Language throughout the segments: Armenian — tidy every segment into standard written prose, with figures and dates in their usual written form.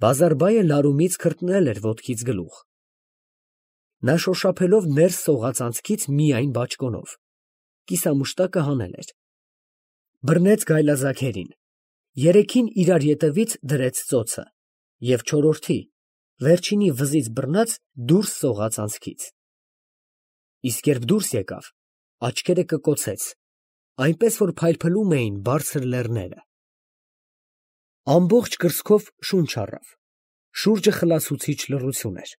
Բազարբայը լարումից քրտնել էր ոտքից գլուխ։ Նա շոշափելով ներս սողաց անցքից միայն բաճկոնով, կիսամուշտակը հանել էր։ Բռնեց գայլաձագերին, երեքին իրար ետևից դրեց ծոցը և չորրորդի, վերջինի վզից բռնած դուրս սողաց անցքից։ Իսկ երբ դուրս եկավ, աչքերը կկոցեց, այնպես որ փայլփլում էին բարձր լեռները։ Ամբողջ կրծքով շունչ առավ, շուրջը խլացուցիչ լռություն էր։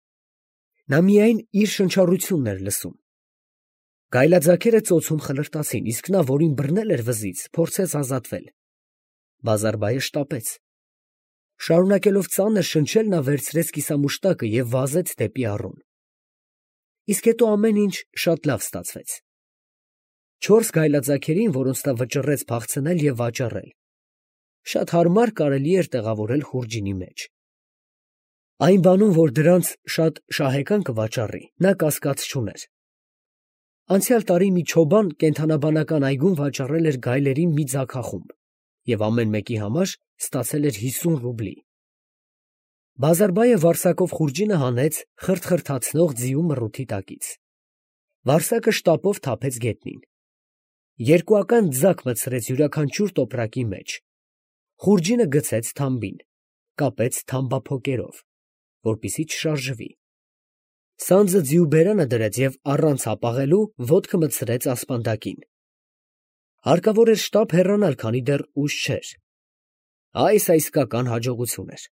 Նա միայն իր շնչառությունն էր լսում։ Գայլաձագերը ծոցում խլրտացին, իսկ նա, որին բռնել էր վզից, փորձեց ազատվել։ Բազարբայը շտապեց։ Շարունակելով ծանր շնչել, նա վերցրեց կիսամուշտակը և վազեց դեպի առուն։ Իսկ հետո ամեն ինչ շատ լավ ստացվեց։ 4 գայլաձագերին, որոնց նա վճռեց փախցնել և վաճառել, շատ հարմար կարելի էր տեղավորել խուրջինի մեջ։ Այն բանում, որ դրանց շատ շահեկան կվաճառի, նա կասկած չուներ։ Անցյալ տարի մի չոբան կենդանաբանական այգում վաճառել էր գայլերին մի ձագախումբ և ամեն մեկի համար ստացել էր 50 ռուբլի։ Բազարբայը վարսակով խուրջինը հանեց խրթխրթացնող ձիու մռութի տակից։ Վարսակը շտապով թափեց գետնին։ Երկուական ձագ մտցրեց յուրաքանչյուր տոպրակի մեջ։ Խուրջինը գցեց թամբին, կապեց թամբափոկերով, որպեսզի չշարժվի։ Սանձը ձիու բերանը դրեց և առանց հապաղելու ոտքը մտցրեց ասպանդակին։ Հարկավոր էր շտապ հեռանալ, քանի դեռ ուշ չէր։ Այս իսկական հաջողություն էր։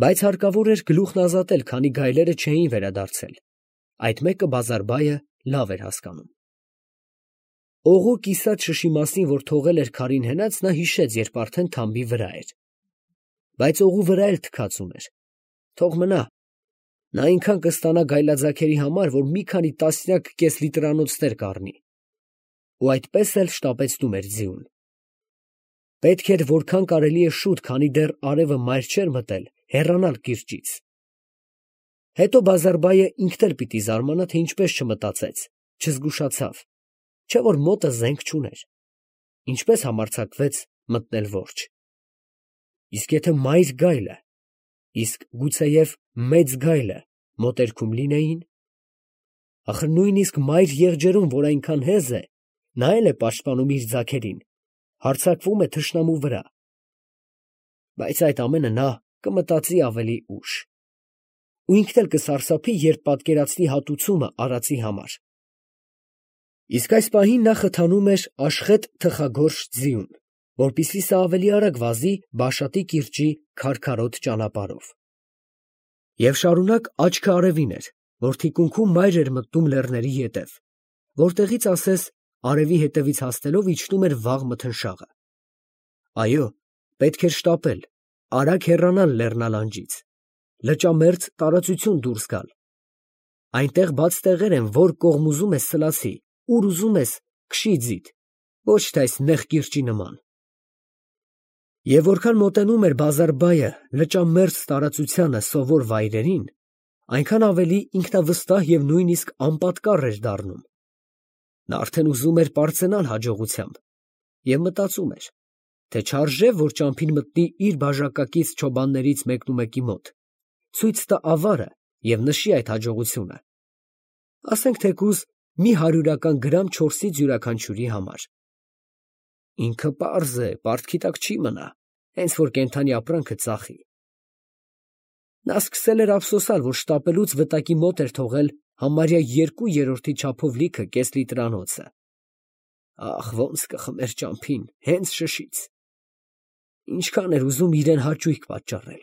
Բայց հարկավոր էր գլուխն ազատել, քանի գայլերը չէին վերադարձել։ Այդ մեկը Բազարբայը լավ էր հասկանում։ Օղու կիսած շշի մասին, որ թողել էր քարին հենած, նա հիշեց, երբ արդեն թամբի վրա էր։ Բայց օղու վրա էլ թքած ուներ։ Թող մնա։ Նա այնքան կստանա գայլաձագերի համար, որ մի քանի տասնյակ կեսլիտրանոցներ կառնի։ Ու այդպես էլ շտապեցնում էր ձիուն։ Պետք էր որքան կարելի է շուտ, քանի դեռ արևը մայր չէր մտել, հեռանալ կիրճից։ Հետո Բազարբայը ինքն էլ պիտի զարմանա, թե ինչպես չմտածեց, չզգուշացավ, չէ որ մոտը զենք չուներ։ Ինչպես համարձակվեց մտնել որջ։ Իսկ եթե մայր գայլը, իսկ գուցեև մեծ գայլը մոտերքում լինեին։ Ախր նույնիսկ մայր եղջերուն, որ այնքան հեզ է, նա էլ է պաշտպանում իր ձագերին, հարձակվում է թշնամու վրա։ Բայց այդ ամենը նա կմտածի ավելի ուշ։ Ու ինքն էլ կսարսափի, երբ պատկերացնի հատուցումը արածի համար։ Իսկ այս պահին նա խթանում էր աշխետ թխագորշ ձիուն, որպեսզի սա ավելի արագ վազի Բաշատի կիրճի քարքարոտ ճանապարհով։ Եվ շարունակ աչքը արևին էր, որ թիկունքում մայր էր մտնում լեռների ետև, որտեղից ասես արևի հետևից հասնելով իջնում էր վաղ մթնշաղը։ Այո, պետք էր շտապել, արագ հեռանալ լեռնալանջից, լճամերձ տարածություն դուրս գալ։ Այնտեղ բաց տեղեր են, որ կողմ ուզում ես սլացի, ուր ուզում ես քշի ձիդ, ոչ թե այս նեղ կիրճի նման։ Եվ որքան մոտենում էր Բազարբայը լճամերձ տարածությանը սովոր վայրերին, այնքան ավելի ինքնավստահ և նույնիսկ անպատկառ էր դառնում։ Նա արդեն ուզում էր պարծենալ հաջողությամբ և մտածում էր, թե չարժե, որ ճամփին մտնի իր բաժակակից չոբաններից մեկնումեկի մոտ, ցույց տա ավարը և նշի այդ հաջողությունը, ասենք թեկուզ մի 100-ական գրամ չորսից յուրաքանչյուրի համար։ Ինքը պարզ է, պարտքի տակ չի մնա, հենց որ կենդանի ապրանքը ծախի։ Նա սկսել էր ափսոսալ, որ շտապելուց վտակի մոտ էր թողել համարյա 2/3 չափով լիքը կեսլիտրանոցը։ Ախ, ոնց կխմեր ճամփին, հենց շշից։ Ինչքան էր ուզում իրեն հաճույք պատճառել։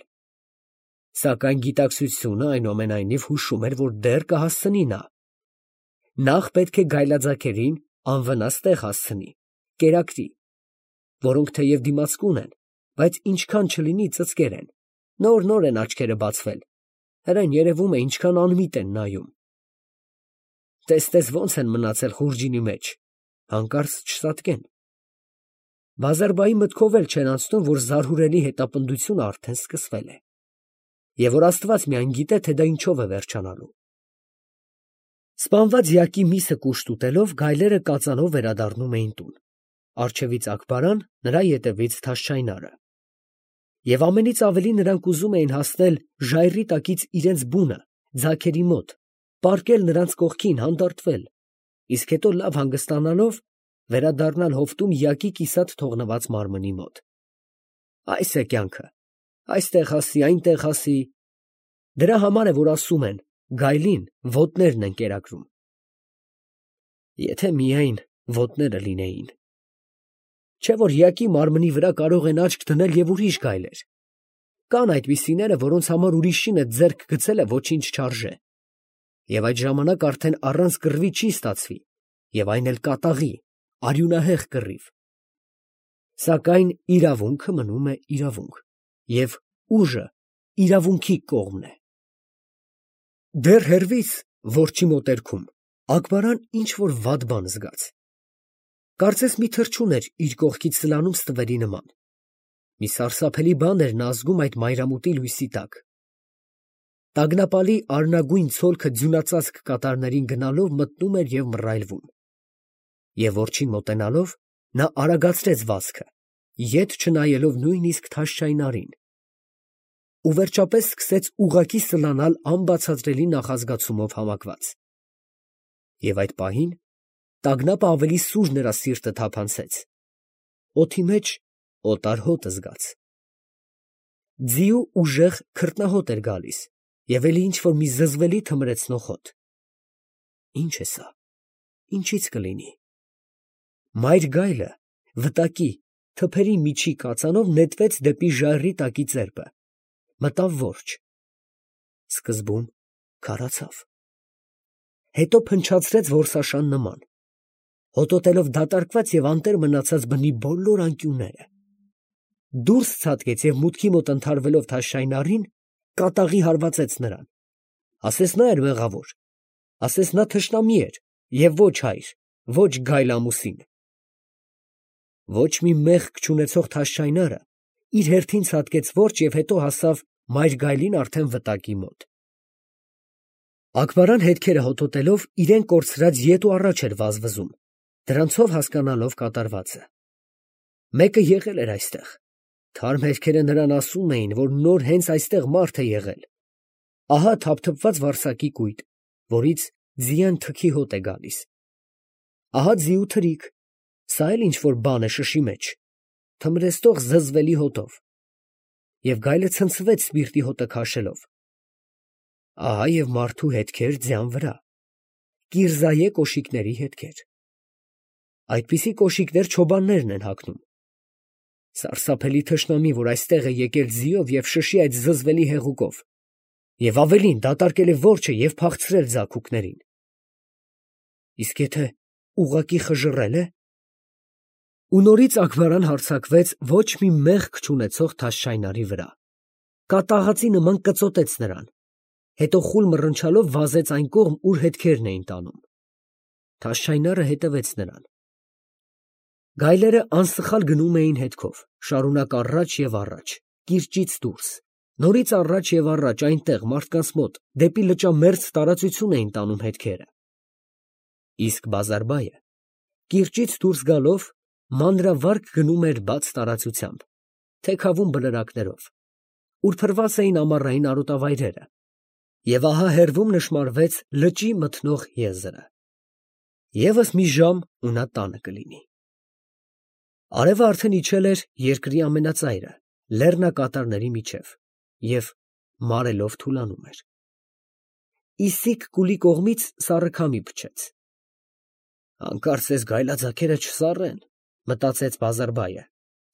Սակայն գիտակցությունը այնուամենայնիվ հուշում էր, որ դեռ կհասցնի նա։ Նախ պետք է գայլաձագերին անվնաս տեղ հասցնի, կերակրի, որոնք թեև դիմացկուն են, բայց ինչքան չլինի ծծկեր են, նոր են աչքերը բացվել, հրեն երևում է ինչքան անմիտ են նայում։ Տես ոնց են մնացել խուրջինի մեջ, հանկարծ չծածկեն։ Բազարբայի մտքով էլ չէր անցնում, որ զարհուրելի հետապնդությունը արդեն սկսվել է, և որ Աստված միայն գիտե, թե դա ինչով է վերջանալու։ Սպանված յակի միսը կուշտ ուտելով, գայլերը կածանով վերադառնում էին տուն, առջևից Աքբարան, նրա ետևից Թաշչայնարը։ Եվ ամենից ավելի նրանք ուզում էին հասնել ժայռի տակից իրենց բունը, ձագերի մոտ, պառկել նրանց կողքին, հանդարտվել, իսկ հետո լավ հանգստանալով վերադառնալ հովտում յակի կիսատ թողնված մարմնի մոտ։ Այս է կյանքը, այստեղ հասի, այնտեղ հասի։ Դրա համար է, որ ասում են, գայլին ոտներն են կերակրում։ Եթե միայն ոտները լինեին։ Չէ՞ որ յակի մարմնի վրա կարող են աչք դնել և ուրիշ գայլեր։ Կան այդպիսիները, որոնց համար ուրիշինը ձեռք գցելը ոչինչ չարժե։ Եվ այդ ժամանակ արդեն առանց կռվի չի ստացվի, և այն էլ կատաղի, արյունահեղ կռիվ։ Սակայն իրավունքը մնում է իրավունք, և ուժը իրավունքի կողմն է։ Դեռ հեռվից, որջի մոտերքում, Աքբարան ինչ֊որ վատ բան զգաց։ Կարծես մի թռչուն էր իր կողքից սլանում ստվերի նման։ Մի սարսափելի բան էր նա զգում այդ մայրամուտի լույսի տակ։ Տագնապալի արնագույն ցոլքը ձյունածածկ կատարներին գնալով մտնում էր և մռայլվում։ Եվ որջին մոտենալով, նա արագացրեց վազքը, ետ չնայելով նույնիսկ Թաշչայնարին։ Ու վերջապես սկսեց ուղղակի սլանալ անբացատրելի նախազգացումով համակված։ Եվ այդ պահին տագնապը ավելի սուր նրա սիրտը թափանցեց։ Օդի մեջ օտար հոտ զգաց։ Ձիու ուժեղ քրտնահոտ էր գալիս, և էլի ինչ֊որ մի զզվելի թմրեցնող հոտ։ Ի՞նչ է սա, ինչի՞ց կլինի։ Մայր գայլը վտակի, թփերի միջի կածանով նետվեց դեպի ժայռի տակի ծերպը, մտավ որջը։ Սկզբում քարացավ, հետո փնչացրեց որսաշան նման, հոտոտելով դատարկված և անտեր մնացած բնի բոլոր անկյունները։ Դուրս ցատկեց և մուտքի մոտ ընդհարվելով Թաշչայնարին, կատաղի հարվածեց նրան։ Ասես նա էր մեղավոր, ասես նա թշնամի էր, և ոչ հայր, ոչ գայլ ամուսին։ Ոչ մի մեղք չունեցող Թաշչայնարը իր հերթին ցատկեց որջ և հետո հասավ մայր գայլին արդեն վտակի մոտ։ Աքբարան հետքերը հոտոտելով իրեն կորցրած ետ ու առաջ էր վազվզում, դրանցով հասկանալով կատարվածը։ Մեկը եղել էր այստեղ։ Թարմ հերքերը նրան ասում էին, որ նոր հենց այստեղ մարդ է եղել։ Ահա թափթփված վարսակի կույտ, որից ձիան թքի հոտ է գալիս։ Ահա ձիու թրիք, սա էլ ինչ֊որ բան է շշի մեջ, թմրեցնող զզվելի հոտով։ Եվ գայլը ցնցվեց սպիրտի հոտը քաշելով։ Ահա և մարդու հետքեր ձյան վրա, կիրզայե կոշիկների հետքեր։ Այդպիսի կոշիկներ չոբաններն են հագնում։ Սարսափելի թշնամի, որ այստեղ է եկել ձիով և շշի այդ զզվելի հեղուկով, և ավելին դատարկել է որջը և փախցրել ձագուկներին։ Իսկ եթե ուղղակի խժռել է։ Ու նորից Աքբարան հարձակվեց ոչ մի մեղք չունեցող Թաշչայնարի վրա, կատաղածի նման կծոտեց նրան, հետո խուլ մռնչալով վազեց այն կողմ, ուր հետքերն էին տանում։ Թաշչայնարը հետևեց նրան։ Գայլերը անսխալ գնում էին հետքով, շարունակ առաջ և առաջ, կիրճից դուրս, նորից առաջ և առաջ այնտեղ, մարդկանց մոտ, դեպի լճամերձ տարածություն էին տանում հետքերը։ Իսկ Բազարբայը, կիրճից դուրս գալով, մանրավարգ գնում էր բաց տարածությամբ, թեքավուն բլրակներով, ուր փռված էին ամառային արոտավայրերը, և ահա հեռվում նշմարվեց լճի մթնող եզրը։ Եվս մի ժամ, ու նա տանը կլինի։ Արևը արդեն իջել էր երկրի ամենածայրը, լեռնակատարների միջև, և մարելով թուլանում էր։ Իսիկ կուլի կողմից սառը քամի փչեց։ Հանկարծ էս գայլաձագերը չսառեն, մտածեց Բազարբայը,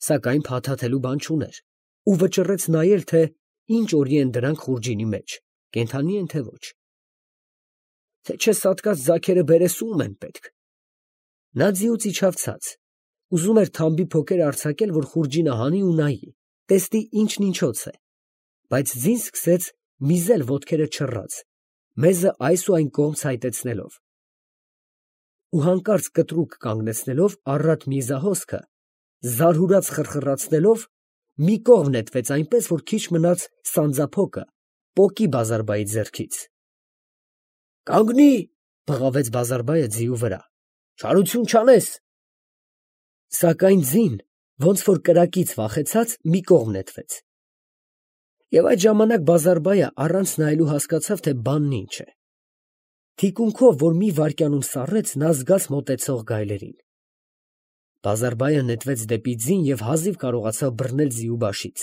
սակայն փաթաթելու բան չուներ, ու վճռեց նայել, թե ինչ օրի են դրանք խուրջինի մեջ, կենդանի են, թե ոչ։ Թե չէ սատկած ձագերը բերեսում են պետք։ Նա ձիուց իջավ ցած, ուզում էր թամբի փոքր արձակել, որ խուրջինը հանի ու նայի, տեսնի ինչն ինչոց է, բայց ձին սկսեց միզել ոտքերը չռած, մեզը այս ու այն կողմ ցայտեցնելով։ Ու հանկարծ կտրուկ կանգնեցնելով առատ միզահոսքը, զարհուրած խրխրացնելով, մի կողմ նետվեց այնպես, որ քիչ մնաց սանձափոկը պոկի Բազարբայի ձեռքից։ «Կանգնի՛, ֊ բղավեց Բազարբայը ձիու վրա, ֊ չարություն չանես»։ Սակայն ձին, ոնց որ կրակից վախեցած, մի կողմ նետվեց, Եվ այդ ժամանակ Բազարբայը առանց նայելու հասկացավ, թե բանն ինչ է։ Թիկունքով, որ մի վայրկյանում սառեց, նա զգաց մոտեցող գայլերին։ Բազարբայը նետվեց դեպի ձին և հազիվ կարողացավ բռնել ձիու բաշից։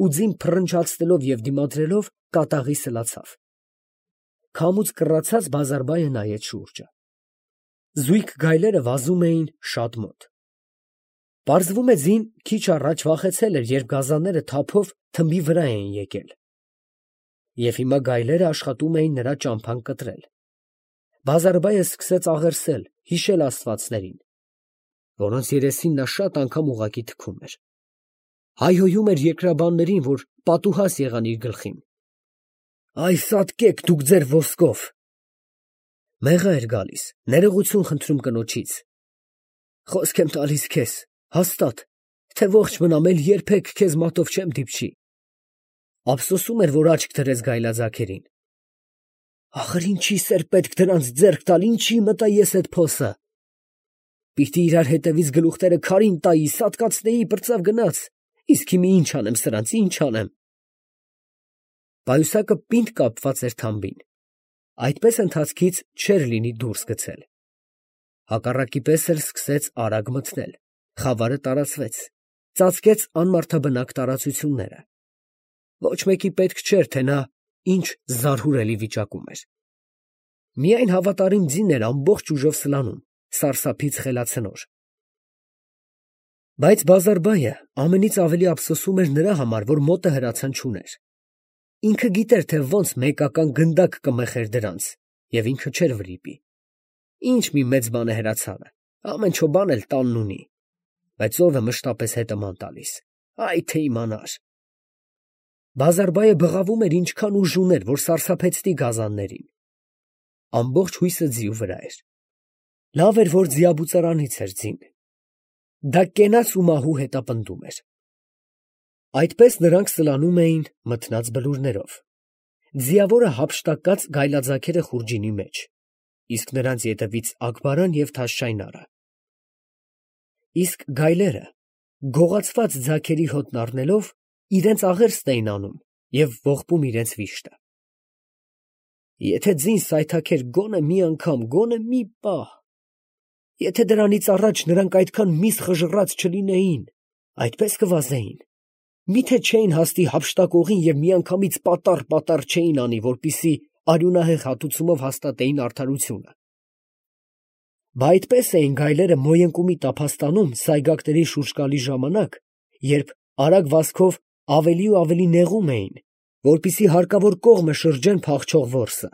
Ու ձին փռնչացնելով և դիմադրելով կատաղի սլացավ։ Քամուց կռացած Բազարբայը նայեց շուրջը։ Զույգ գայլերը վազում էին շատ մոտ։ Պարզվում է ձին քիչ առաջ վախեցել էր, երբ գազանները թափով թմբի վրա էին եկել։ Եվ հիմա գայլերը աշխատում էին նրա ճամփան կտրել։ Բազարբայը սկսեց աղերսել, հիշել աստվածներին, որոնց երեսին նա շատ անգամ ուղղակի թքում էր։ Հայհոյում էր երկրաբաններին, որ պատուհաս եղան իր գլխին։ Այ սատկեք դուք ձեր ոսկով։ Մեղա էր գալիս, ներողություն խնդրում կնոջից։ Խոսք եմ տալիս քեզ, հաստատ, թե ողջ մնամ, էլ երբեք քեզ մատով չեմ դիպչի։ Ափսոսում էր, որ աչք դրեց գայլաձագերին։ Ախր ինչի սեր պետք դրանց ձեռք տալ, ինչի մտա ես այդ փոսը։ Պիտի իրար հետևից գլուխները քարին տայի, սատկացնեի, պրծավ գնաց, իսկ հիմա ինչ անեմ սրանց, ինչ անեմ։ Պայուսակը պինդ կապված էր թամբին, այդպես ընթացքից չէր լինի դուրս գցել։ Հակառակի պես էլ սկսեց արագ մթնել, խավարը տարածվեց, ծածկեց անմարդաբնակ տարածությունները։ Ոչ մեկի պետք չէր, թե նա ինչ զարհուրելի վիճակում էր։ Միայն հավատարիմ ձին էր ամբողջ ուժով սլանում, սարսափից խելացնոր։ Բայց Բազարբայը ամենից ավելի ափսոսում էր նրա համար, որ մոտը հրացան չուներ։ Ինքը գիտեր, թե ոնց մեկական գնդակ կմխեր դրանց, և ինքը չէր վրիպի։ Ինչ մի մեծ բան է հրացանը, ամեն չոբան էլ տանն ունի, բայց ով է մշտապես հետը ման տալիս, այ թե իմանար։ Բազարբայը բղավում էր ինչքան ուժ ուներ, որ սարսափեցնի գազաններին։ Ամբողջ հույսը ձիու վրա էր։ Լավ էր, որ ձիաբուծարանից էր ձին։ Դա կենաց ու մահու հետապնդում էր։ Այդպես նրանք սլանում էին մթնած բլուրներով։ Ձիավորը հափշտակած գայլաձագերը խուրջինի մեջ, իսկ նրանց ետևից Աքբարան և Թաշչայնարը։ Իսկ գայլերը, գողացված ձագերի հոտն առնելով, իրենց աղերսն էին անում և ողբում իրենց վիշտը։ Եթե ձին սայթաքեր գոնե մի անգամ, գոնե մի պահ, եթե դրանից առաջ նրանք այդքան միս խժռած չլինեին, այդպես կվազեին, միթե չէին հասնի հափշտակողին և միանգամից պատառ չէին անի, որպեսզի արյունահեղ հատուցումով հաստատեին արդարությունը։ Բա այդպես էին գայլերը Մոյընկումի տափաստանում սայգակների շուրջ գալիս ժամանակ, երբ արագ վազքով ավելի ու ավելի նեղում էին, որպեսզի հարկավոր կողմը շրջեն փախչող որսը։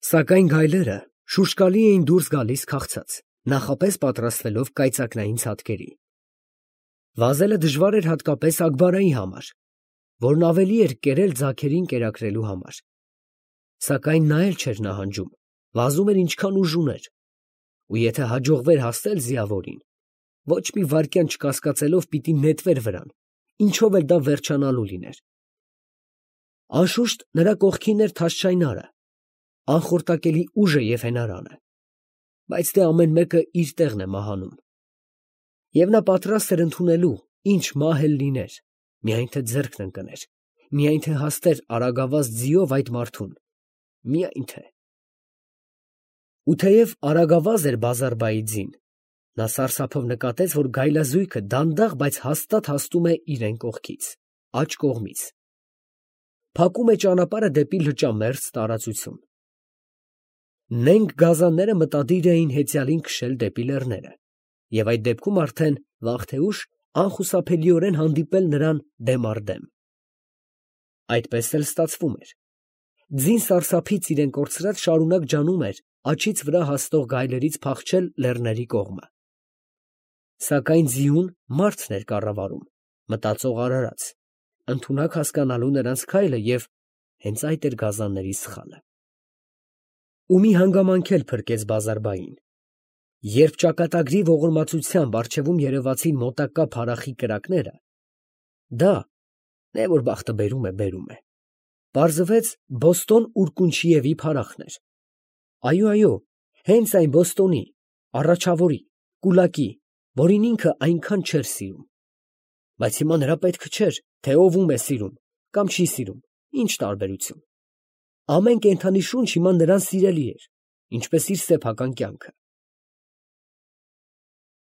Սակայն գայլերը շուշկալի էին դուրս գալիս քաղցած, նախապես պատրաստվելով կայծակնային ցատկերի։ Վազելը դժվար էր հատկապես Աքբարայի համար, որն ավելի էր կերել ձագերին կերակրելու համար։ Սակայն նա էլ չէր նահանջում, վազում էր ինչքան ուժ ուներ, ու եթե հաջողվեր հասնել ձիավորին, ոչ մի վայրկյան չկասկածելով պիտի նետվեր վրան, ինչով էլ դա վերջանալու լիներ։ Անշուշտ նրա կողքին էր Թաշչայնարը, անխորտակելի ուժը և հենարանը, բայց դե ամեն մեկը իր տեղն է մահանում։ Եվ նա պատրաստ էր ընդունելու, ինչ մահ էլ լիներ, միայն թե ձեռքն ընկներ, միայն թե հասներ արագավազ ձիով այդ մարդուն, միայն թե… Ու թեև արագավազ էր Բազարբայի ձին, նա սարսափով նկատեց, որ գայլազույգը դանդաղ, բայց հաստատ հասնում է իրեն կողքից, աջ կողմից, փակում է ճանապարհը դեպի լճամերձ տարածություն։ Նենգ գազանները մտադիր էին հեծյալին քշել դեպի լեռները, և այդ դեպքում արդեն վաղ թե ուշ անխուսափելիորեն հանդիպել նրան դեմ առ դեմ։ Այդպես էլ ստացվում էր։ Ձին սարսափից իրեն կորցրած շարունակ ջանում էր աջից վրա հասնող գայլերից փախչել լեռների կողմը։ Սակայն ձիուն մարդն էր կառավարում, մտածող արարած, ընդունակ հասկանալու նրանց քայլը, և հենց այդ էր գազանների սխալը։ Ու մի հանգամանք էլ փրկեց Բազարբային։ Երբ ճակատագրի ողորմածությամբ առջևում երևացին մոտակա փարախի կրակները, դա, թե որ բախտը բերում է, պարզվեց Բոստոն Ուրկունչիևի փարախն էր։ Այո, հենց այն Բոստոնի, առաջավորի, կուլակի, որին ինքը այնքան չէր սիրում։ Բայց հիմա նրա պետքը չէր, թե ով ում է սիրում կամ չի սիրում, ինչ տարբերություն. ամեն կենդանի շունչ հիմա նրան սիրելի էր, ինչպես իր սեփական կյանքը։